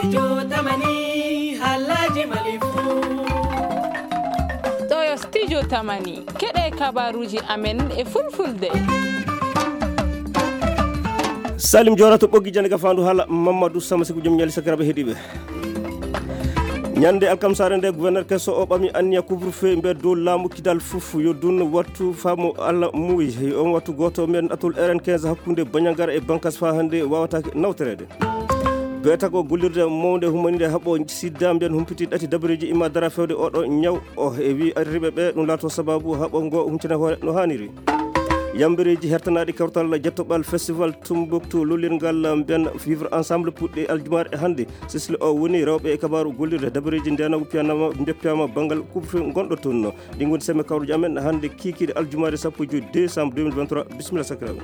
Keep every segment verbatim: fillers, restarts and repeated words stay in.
Studio Tamani, haalaaji Mali fuu. Ɗo yo Studio Tamani, keɗe kabaruuji amen e fulfulde. Salim Joora to ɓoggi jande gafaandu haala Mamadou Sama Siku, jom ñaali sakiraaɓe heɗiiɓe. Ñande alkamsaare nde, gouverneur keso o ɓami anniya couvre-feu mbiya dow laamu Kidal fuf yo dun wattu faamu Allah muuyi. On wattu gooto mbiyan ɗatul R N quinze hakkunde Bandiagara e Bankass faa hannde waawataake nawtoreede. Beeta ko gollirde mawnde humaninde haɓo sida mbiyan humpiti ɗati dabareeji imma dara fewde oɗo ñaw o e wi arriɓe ɓe ɗum laato sababu haɓo ngo huncina hoore no haaniri. Yambereeji hertanaaɗi kawtal jettoɓal festival Tumbuktu lollirngal mbiyan vivre ensemble puɗɗi aljumaare hannde. Sisli o woni rewɓe e kabaaru gollirde dabareeji ndenagu piyanama njoppiyama banngal couvre-feu gonɗo toon. Ɗi ngoni semme kawruji amen hannde kikiiɗe aljumaare sappo e joy décembre deux mille vingt-trois. Bisimilla sakiraaɓe.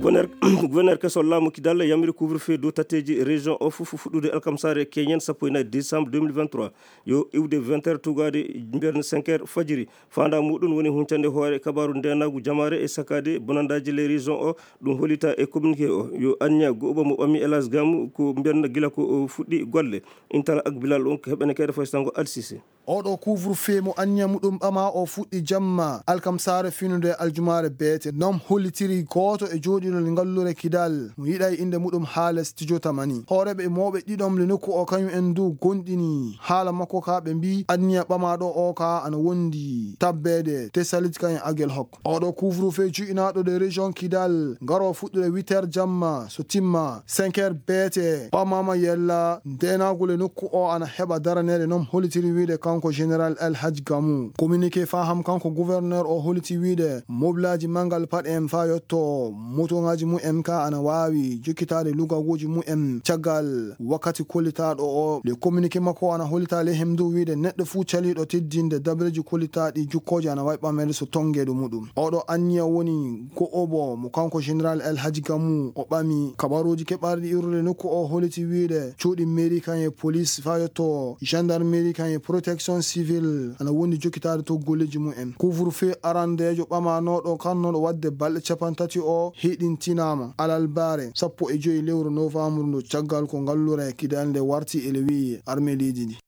Gouverneur, gouverneur keso laamu Kidal yamiri couvre-feu dow tatteeji région o fof fuɗɗude alkamsaare keñen sappo e nayi décembre deux mille vingt-trois. Yo iwde vingt heures tugaade mbiyan cinq heures fajiri. Faandaa muɗum woni huncande hoore kabaaru ndenagu jamaare e sakaade bonandaaji les régions o. Ɗum hollita e communiqué o. Yo anniya go'uba mo ɓami Elas Gamu ko mbiyan gila ko o fuɗɗi golle. Intala ak Bilal on ko heɓene keede foy sango Alsise. Oɗo couvre-feu mo anniya muɗum ɓama o fuɗɗi jamma alkamsaare finude aljumaare beete. Non hollitiri gooto e jooɗiiɗo ngallure Kidal mo yiɗay innde muɗum haala Studio Tamani. Hooreeɓe e mawɓe ɗiɗon le nokku o kañum en du gonɗini haala makko ka ɓe mbi anniya ɓamaaɗo o ka ana wondi tabbeede te salit kañum agel hokko. Oɗo couvre-feu cu'inaaɗo de région Kidal ngaro fuɗɗude huit heures jamma so timma cinq heures beete ɓamama yella ndenagol e nokku o ana heɓa daraneede non hollitiri wiide kanko général El Hadj Gamou. Communiqué faham kanko gouverneur o holliti wiide mobilaaji mangal paɗ en fa yotto motoŋaaji mu'en ka ana waawi jokkitaade lugaguuji mu'en caggal wakkati kollitaaɗo o. Le communiqué makko ana hollita le hem du wiide neɗɗo fuu caliiɗo teddinde dabareeji kollitaaɗi jukkooje ana waawi ɓameede so tonngeeɗo muɗum. Oɗo anniya woni go'obo mo kanko général El Hadji Gamou o ɓami. Kabaruuji keɓaarɗi iwrude nokku o holliti wiide cuuɗi mairie kan e police fa yotto gendarmerie kan e protection civile ana wondi jokkitaade to golleeji mumen. Couvre-feu arandeejo ɓamanooɗo kannooɗo waɗde balɗe capantati o hiɗintinaama alalbaare sappo e joy lewru novembre ndu caggal ko ngallure kidal nde warti ele wi'i armée leydi ndi.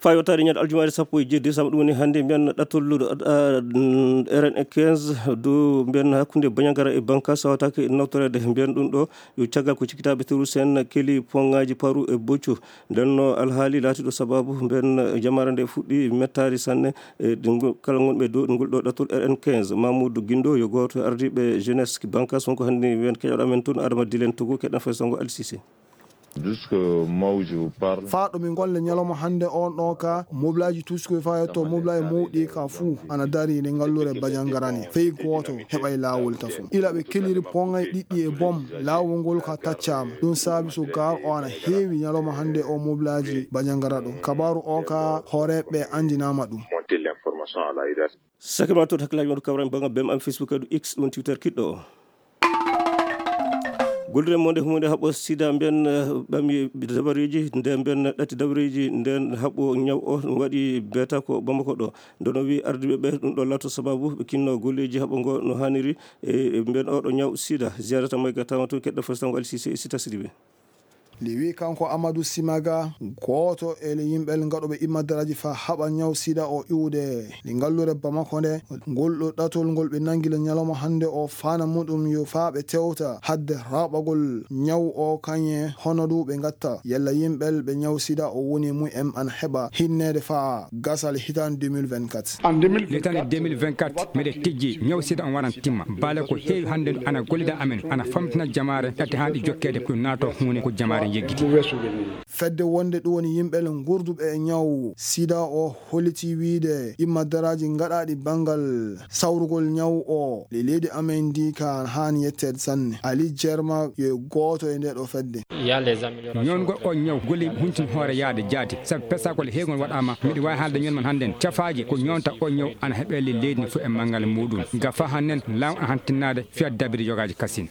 Faa yottaade ñande aljumaare sappo e jeeɗi décembre, ɗum woni hannde, mbiyan ɗattol R N quinze dow mbiyan hakkunde Bandiagara e Bankass sawataake nawtoreede. Mbiyan ɗum ɗo yo caggal ko cikkitaaɓe terroriste en keli poŋaaji paru e boccu. Nden no alhaali laatiiɗo sababu mbiyan jamaare nde fuɗɗi mettaari sanne e ɗi ngol, kala ngonɓe dow ngol ɗo ɗattol R N quinze. Mamoudou Guindo yo gooto e ardiiɓe jeunesse Bankass, wonko hannde mbiyan keɗoɗo amen toon Adama Dilen Togo, keɗɗen fay sango Alsise. Faa ɗo min golle ñalawma hannde on ɗo ka, mobilaaji tuuskoy faa yetto mobilaaji mawɗi ka fuu ana dari nde ngallure Bandiagara ne. Fey gooto heɓay laawol tafo. Ila ɓe keliri poŋay ɗiɗɗi e bom, laawol ngol ka taccaama. Ɗum saabi so gaar o ana heewi ñalawma hannde o mobilaaji Bandiagara ɗo. Kabaaru o ka hooreeɓe anndinaama ɗum. Sakirma to hakkilaaji mon kawran bannga bem am Facebook kadi X ɗum Twitter kiɗɗo o. Gollirde monde humunde haɓo sida mbiyan, eh, ɓami dabareeji, nde mbiyan ɗati dabareeji, nden haɓo ñaw o ɗum waɗi beeta ko Bamako ɗo. Ndono wi ardiɓe ɓe ɗum ɗo lato sababu ɓe kinno golleeji haɓo ngo no haniri, e, e mbiyan oɗo ñaw sida. Ziyarata moy ga tawon to keɗɗo fo sango Alsise e Sita Sidibe. Liwi kanko Amadou Simaga, gooto e le yimɓe gaɗoɓe immadaraaji fa haɓa ñaw sida o iwde. Li ngallure Bamako nde, ngol ɗo ɗatol ngol ɓe nangi le ñalawma hannde o fana muɗum yo fa ɓe tewta hadde raɓagol ñaw o kañe hono ɗu ɓe gatta. Yalla yimɓe ɓe ñaw sida o woni mu em an heɓa hinneede fa gasal hitan deux mille vingt-quatre. Litani deux mille vingt-quatre, miɗe tijji ñaw sida on waran timma. Baale ko heewi hannde ana gollida amen, ana famtina jamaare, ɗatti haa ɗi jokkeede ko naato huune ko jamaare yeggiti. Fedde wonde ɗum woni yimɓe le ngurduɓe e ñaw sida o holliti wiide immadaraaji gaɗaaɗi banngal sawrugol ñaw o le leydi amen ndi ka haani yetteede sanne. Ali Jerma yo gooto e nde ɗo fedde. Ñoongol o ñaw golli huntin hoore yaade jaati, sabu pesagol heewgol waɗaama. Miɗo waawi haalde ñoon man hannden. Cafaaji ko ñoonta o ñaw ana heɓe le leydi ndi fof e manngal muuɗum. Ga fa hannden laamu ana hantinnaade fiya dabiri yogaaji kasin.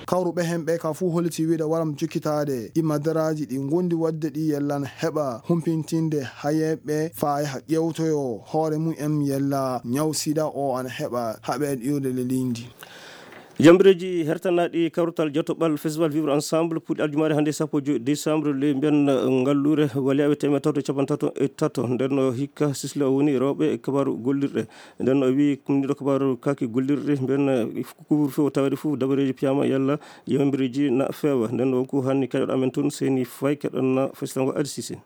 Kawruɓe heen ɓe ka fuu holliti wiide waram jokkitaade immadaraaji ɗi ngondi waɗde ɗi yellan heɓa humpintinde hayeeɓe faa yaha ƴeewtoyo hoore mum en yella ñaw sida o ana heɓa haɓeede iwde le leydi ndi. Yambireeji hertanaaɗi kawrital jatoɓal Festival Vivre Ensemble puɗɗi aljumaare hannde sappo e joy décembre, ley mbiyan ngalluure waliyaaɓe teemeɗɗe tato e capanɗe tato e tato. Nden o hikka sisla o woni rewɓe e kabaaru gollirɗe. Nden o wi kumniɗo kabaaru kaaki gollirɗe mbiyan couvre-feu o taweede fof dabareeji piyaama yalla yambireeji na feewa. Nden o ko hanni kaƴoɗo amen toon Seyni Faye keɗon na festival ngo Adi Sise.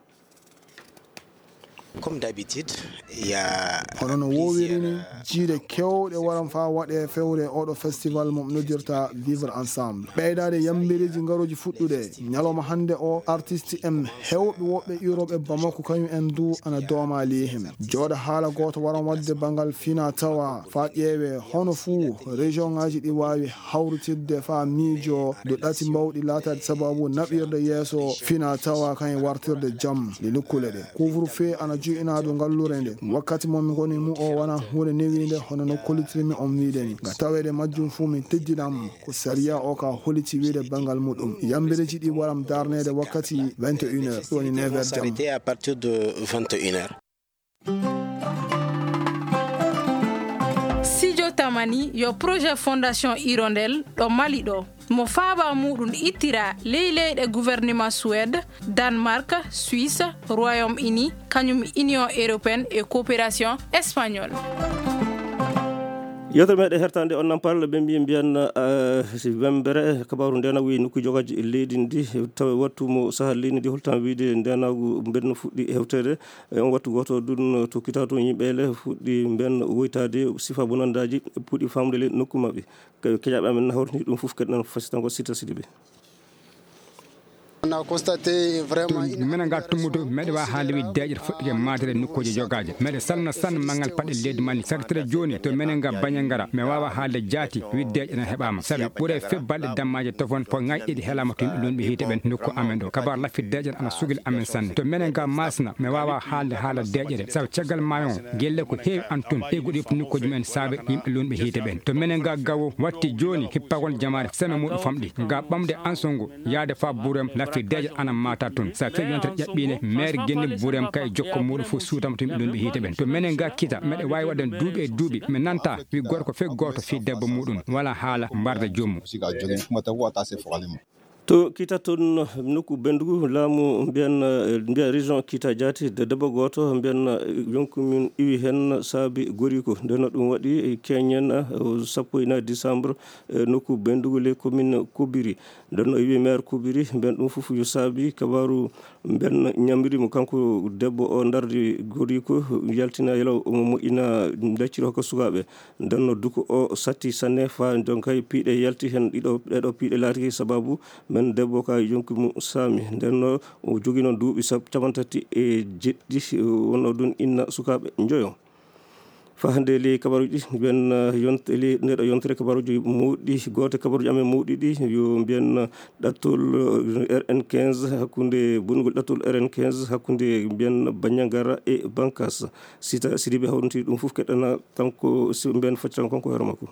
Comme d'habitude, il y a Hono no woowiri ni, plusieurs, euh, jiiɗe kewɗe waran faa waɗee fewre oɗo festival mo noddirta Vivre Ensemble. Ɓeydaade yambireeji ngarooji fuɗɗude ñalawma hannde o, artiste en heewɓe woɓɓe iwrooɓe Bamako kañum en du ana dooma ley heen. Jooɗa haala gooto waran waɗde banngal fina tawa faa ƴeewee hono fuu région ŋaaji ɗi waawi hawritirde faa miijoo dow ɗati mawɗi laataade sababu naɓirde yeeso fina tawa kañum wartirde jam e nokkuule ɗe. Couvre-feu ana joginaa dow ngalluure nde. Wakkati mo min ngoni mu o wonaa huunde newiinde hono no kollitirmi on wiide ni. Nga taweede majjum fuu min teddinam ko sariya o ka holliti wiide banngal muɗum. Yambireeji ɗi waram darneede wakkati vingt et une heures, woni neuf heures jam. S'arrêter à partir de vingt et une heures. Sijo Tamani yo projet Fondation Hirondelle ɗo Mali ɗo. Mo faaba muɗum ittira ley leyɗe gouvernement Suède, Danemark, Suisse, Royaume-Uni, kañum Union Européenne e Coopération Espagnole. Yewtere meɗen hertande on nampal ɓe mbiyi mbiyan, eh, si wembere kabaru ndenagu e nokku jogaji e leydi ndi tawa wattu mo saha leydi ndi holtan wiide ndenagu mbeɗa no fuɗɗi hewtere. E on wattu gooto ɗum to kita to yimɓe ele fuɗɗi mben woytaade sifa bonandaaji puɗɗi famde le nokku maɓɓe. Ke-, keƴaaɓe amen na hawritini ɗum fof kadi nan fasitango Sita Sidibe. On a constaté vraiment une menen ga tummudu meɗe wa haalde wi deeƴere fuɗɗike maadere nokkuuje jogaaje. Meɗe salmina sanne manngal paɗe leydi Mali. Sakitire jooni to menen ga Bañangara. Mi waawa haalde jaati wi deeƴere na heɓaama. Sabi ɓure fe balɗe dammaaje tofon po ŋaƴƴiɗi helaama to yimɓe lunɓe hiite ɓen nokku amen ɗo. Kabar laffi deeƴere ana sugil amen sanne. To menen ga Maasina, mi waawa haalde haala deeƴere. Sabu caggal maayo on, gelle ko heewi an tun, egguɗi nokkuuji men saabe yimɓe lunɓe hiite ɓen. To menen ga Gawo, watti jooni hippagol jamaare seme muɗum famɗi. Ga ɓamde Ansongo, yaade faa Buurem, laffi deeƴere ana maata tun. Sa fii yontere ƴaɓɓiinde, meer genni Buurem kay jokko muɗum fof suutama to yimɓe lunɓe hiite ɓen. To menen ga Kita, meɗe waawi waɗan duuɓi e duuɓi, mi nanta wi gorko fe gooto fii debbo muɗum, wala haala mbarda joomu. To Kita toon nokku Benndugu, laamu mbiyan, eh, mbiyan région Kita Jaati, de debbo gooto mbiyan, eh, yonku min iwi heen saabi goriiko. Nden no ɗum waɗi, eh, keñen, eh, sappo e nayi décembre, eh, nokku Benndugu, les commune Kobiri. Nden no iwi maire Kobiri, mbiyan ɗum fof yo saabi kabaaru mbiyan ñamri mo kanko debbo o ndardi goriiko, yaltina yalaw omo moƴƴina lacciri hokka sukaaɓe. Nden no duko o satti sanne faa nden kay piiɗe yalti heen ɗiɗo, ɗeɗo piiɗe laatiki sababu men debbo ka yonki mum saami. Nden no o jogino duuɓi sab-, capantati e jeɗɗi, wonno ɗum inna sukaaɓe njoyo. Faa hannde ley kabaruuji ɗi, mbiyen, eh, yont-, ley ndeɗo yontere kabaruuji mawɗi, gooto kabaruuji amen mawɗi ɗi, yo mbiyen, eh, ɗattol, eh, R N quinze hakkunde, bonnugol ɗattol R N quinze hakkunde mbiyen Bandiagara e Bankass. Sita Sidibe hawrintiri ɗum fof keɗana kanko si mbiyen facciran kanko hoore makko.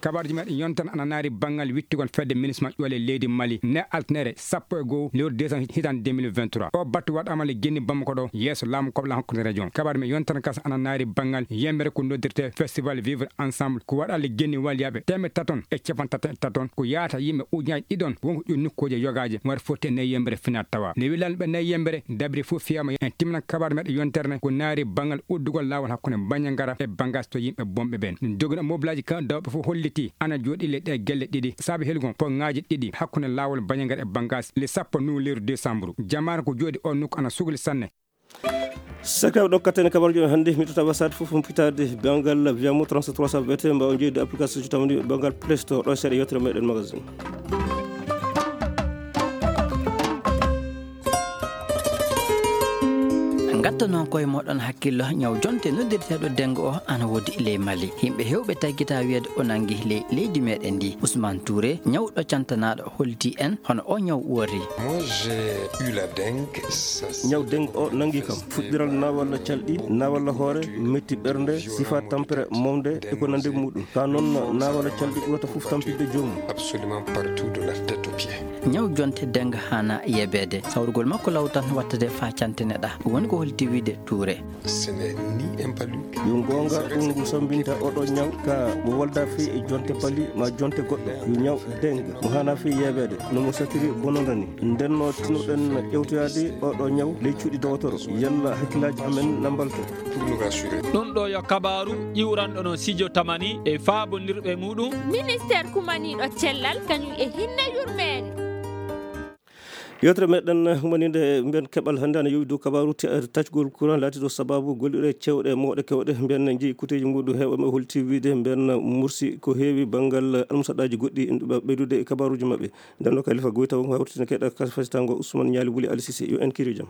Kabaruuji meɗen yontan ana naari banngal wittugol fedde ministre ƴoole leydi Mali ne altnere sappo e goo lewru décembre hitande deux mille vingt-trois. O battu waɗaama le genni Bamako ɗo yeeso laamu koɓla hakkunde région. Kabaaru men yontan kas ana naari banngal yembere ko noddirte Festival Vivre Ensemble ko waɗa le genni waliyaaɓe teemeɗɗe taton e capanɗe taton e taton ko yaata yimɓe ujunaji ɗiɗon wonko ƴuuri nokkuuje yogaaje war fotti e nayi yembere finat tawa. Ne wilan ɓe nayi yembere dabri fof fiyama en timminan kabaaru meɗen yontere ne ko naari banngal uddugol laawol hakkunde Bandiagara e Bankass to yimɓe bonɓe ɓen. Ɗum jogino mobilaaji kan dawɓe fof holliti ana jooɗi le ɗe gelle ɗiɗi. Saabi helgol pongaaji ɗiɗi hakkunde laawol Bandiagara e Bankass le sappo nowembre décembre. Jamaare ko jooɗi on nokku ana sugli sanne. Sakiraaɓe ɗo katten e kabaruuji men hannde, mi totta wasaade fof mo fitaade banngal Viamo trente-trois cent V T, mbawa jeyde application so tawni banngal Play Store ɗo seeɗa yewtere meɗen magazine. Ngatto noon koye moɗon hakkillo ñaw jonte noddirteeɗo dengo o ana woodi ley Mali. Yimɓe heewɓe taggita wiyeede o nangi ley leydi meɗen ndi. Ousmane Touré, ñawɗo cantanaaɗo, holti en hono o ñaw wori. Moi, j'ai eu la dengue. Ça, c'est ñaw dengue o nangi kam. Fuɗɗiral naawalla calɗi, naawalla hoore, metti ɓernde, sifa tampere mawde e ko nande muɗum. Ka noon naawalla calɗi ɓurata fof tampinde joomum. Absolument partout de la tête aux pieds. Ñaw jonte dengue hana yebeede. Sawrugol makko law tan wattade faa cantineɗa. Woni ko holti Wide Touré. Yo goonga, ɗum ngu sambinta oɗo ñaw ka mo wolda fii e jonte pali ma jonte goɗɗo. Yo ñaw dengue mo hana fii yeebeede, no mo satiri bononda ni. Ndenno tinuɗen ƴewtoyaade oɗo ñaw ley cuuɗi dowotoro. Yalla hakkillaaji amen na mbalto. Ɗum ɗo yo kabaaru iwranɗo no Sijo Tamani e faabondirɓe muɗum. Ministeer kumaniiɗo cellal kañum e hinne yurmeende. Yewtere meɗen humaninde mbiyen keɓal hannde ana yowi dow kabaaru te-, taccugol courant laatiɗo sababu gollirɗe cewɗe mawɗe kewɗe. Mbiyen jeyi kuteeji muɗum heewɓe ɓe holti wiide mbiyen mursi ko heewi banngal almusaɗaaji goɗɗi ɓeydude e kabaaruji maɓɓe. Nden noon Kalifa Goyta won ko hawritina keɗa kas fasitango Ousmane Ñaali Wuli Ali Cissé. Yo en kiri jam.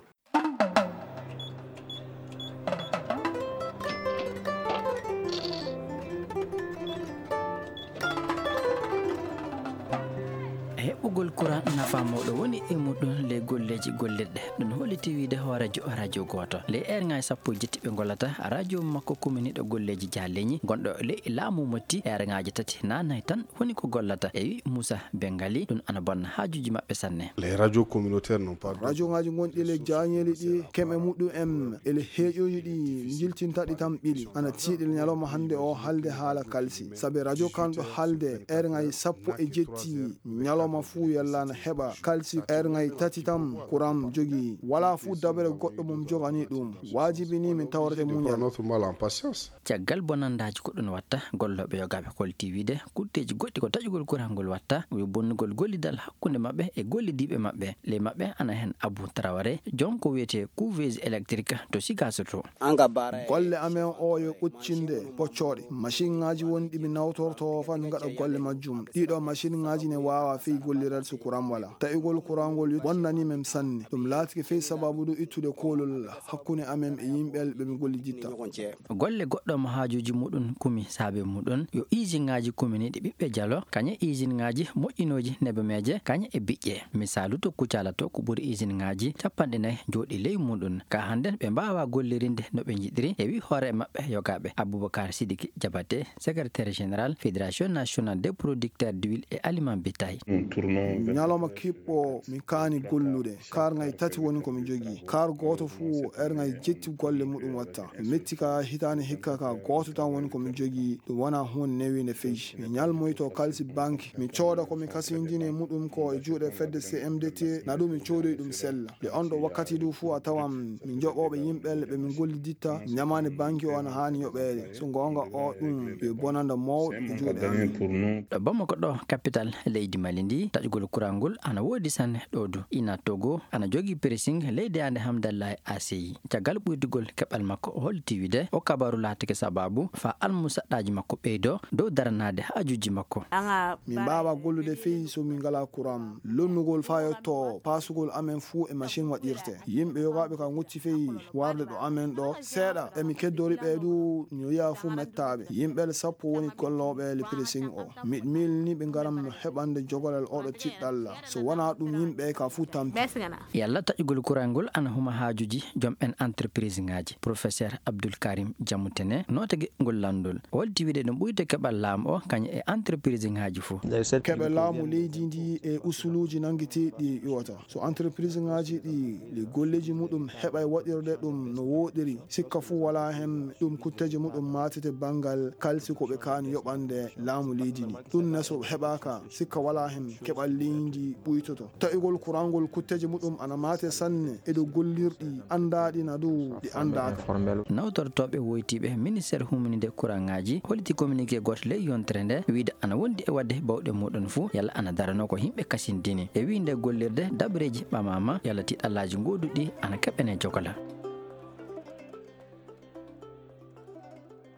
Heɓɓugol courant nafa mawɗo woni e muɗum ley golleeji gollirɗe. Ɗum holliti wiide hooreejo radio gooto. Ley eerŋaaji sappo e jetti ɓe ngollata, radio makko kuminiiɗo golleeji jahaleeji gonɗo ley laamu Motti, eerŋaaji tati naanay tan woni ko gollata. E wi Moussa Bengali, ɗum ana bonna haajuuji maɓɓe sanne. Les radios communautaires n'ont pas de Radiongaaji gonɗi ley jaañeeli ɗi, keme muɗum en e ley heeƴooji ɗi njiltinta ɗi tan ɓili. Ana tiiɗi ñalawma hannde o haalde haala kalsi. Sabi radio kan ɗo haalde eerŋaaji sappo e jetti ñalawma fuu yalla na heɓa kalsi eerŋaaji tati tan kuram jogii. Walaa fuu dabere goɗɗo mum joganii ɗum. Waajibi ni min tawrete muñal. Prend notre mal en patience. Caggal bonandaaji ko ɗum watta, gollooɓe yogaaɓe holti wiide kutteeji goɗɗi ko taƴugol courant ngol watta, yo bonnugol gollidal hakkunde maɓɓe e gollidiiɓe maɓɓe. Ley maɓɓe ana heen Abou Traoré, joom ko wiyetee couveuse électrique to Sigaso to. Golle amen o yo ɓoccinde ɓoccooɗe. Masinŋaaji wonɗi mi nawtorto fan ngaɗa golle majjum. Ɗiɗo masinŋaaji ne waawa fey golliral so kuram wala. Taƴugol kuram ngol yo bonnani men sanne. Ɗum laatike fey sababu ɗum ittude koolol hakkunde amen e yimɓe ɓe mi golliditta. Golle goɗɗo mo haajuuji muɗum kumi saabe muɗum yo isinŋaaji kuminiiɗi ɓiɓɓe jalo, kañe isinŋaaji moƴƴinooji nebemeeje, kañe e biƴƴe. Misaalu to Kucala to ko ɓuri isinŋaaji capanɗe nayi jooɗi ley muɗum. Ka hannden ɓe mbaawa gollirinde no ɓe njiɗiri, e wi hoore maɓɓe yogaaɓe Aboubacar Sidiki Diabaté, secrétaire général Fédération nationale des producteurs d'huile et aliments bétail. Ñalawma kiɓɓo min kaani gollude. Kaar ŋay tati woni ko mi jogii. Kaar gooto fuu er ŋay jetti golle muɗum watta. Mi metti ka hitaande hikka ka gooto tan woni ko mi jogii. Ɗum wona huunde newiinde fey. Mi ñalmoyto kalsi banki. Mi cooda ko mi kasindini e muɗum ko e juuɗe fedde C M D T. Na ɗum mi coodoyi ɗum sella. Nde on ɗo wakkati du fuu a tawan mi joɓooɓe yimɓe ɓe min golliditta. Ñamaande banki o ana haani yoɓeede. So goonga o ɗum yo bonanda mawɗo e juuɗe amen. Ɗo Bamako ɗo, capital leydi Mali ndi, taƴugol kurangol ana woodi sanne ɗo du. Ina Togo ana jogii pressing ley daande Hamdallahi A C I. Caggal ɓoytugol keɓal makko, o holliti wiide o kabaru laatike sababu faa almusaɗɗaaji makko ɓeydo dow daranaade haajuuji makko. Min mbaawa gollude fey so min ngalaa kuran. Lonnugol faa yotto paasugol amen fuu e machine waɗirte. Yimɓe yogaaɓe ka ngucci fey warde ɗo amen ɗo seeɗa. E mi keddori ɓe du, no yi'a fuu mettaaɓe. Yimɓe sappo woni gollooɓe le pressing o. Miɗo miilini ɓe ngaram heɓande jogorel oɗo tiɗɗalla. So wonaa ɗum, yimɓe ka fuu tampi. Yalla taƴugol kurangol ana huma haajuuji joom en entreprise ŋaaji. Professeur Abdoul Karim Diamoutene, nootege ngol lanndol. O holti wiide ɗum ɓuyte keɓal laamu o, kañum e entreprise ŋaaji fuu. Keɓe laamu leydi ndi e usuluuji nanngeteeɗi iwata. So entreprise ŋaaji ɗi, le golleeji muɗum heɓay waɗirde ɗum no wooɗiri, sikka fuu walaa hen ɗum kutteeje muɗum maatete banngal kalsi ko ɓe kaani yoɓande laamu leydi ndi. Ɗum ne so heɓaaka, sikka walaa hen keɓal leydi ndi ɓuytoto. Taƴugol kurangol kutteeje muɗum ana maate sanne e dow gollirɗi anndaaɗi na dow ɗi anndaaka. Nawtortooɓe woytiiɓe ministeer humininde kuraŋaaji holliti communiqué gooto ley yontere nde, wiide ana wondi e waɗde bawɗe muɗum fuu, yalla ana daranoo ko yimɓe kasindini. E wiide gollirde dabareeji ɓamaama, yalla tiiɗallaaji gooduɗi ana keɓene jogola.